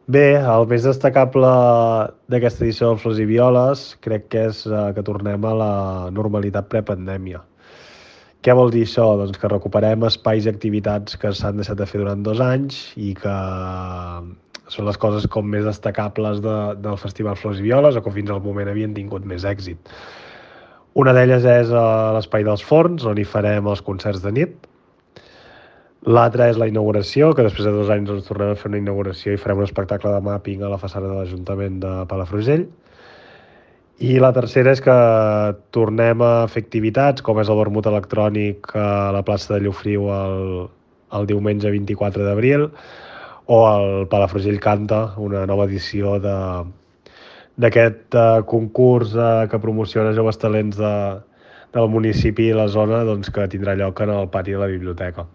Bé, el més destacable d'aquesta edició del Flors i Violes crec que és que tornem a la normalitat prepandèmia. Què vol dir això? Doncs que recuperem espais i activitats que s'han deixat de fer durant 2 anys i que són les coses com més destacables del Festival Flors i Violes o que fins al moment havien tingut més èxit. Una d'elles és l'Espai dels Forns, on hi farem els concerts de nit. L'altra és la inauguració, que després de 2 anys ens tornem a fer una inauguració i farem un espectacle de mapping a la façana de l'Ajuntament de Palafrugell. I la tercera és que tornem a fer activitats, com és el vermut electrònic a la plaça de Llofriu el diumenge 24 d'abril, o el Palafrugell Canta, una nova edició d'aquest concurs que promociona joves talents del municipi i la zona, doncs, que tindrà lloc en el pati de la biblioteca.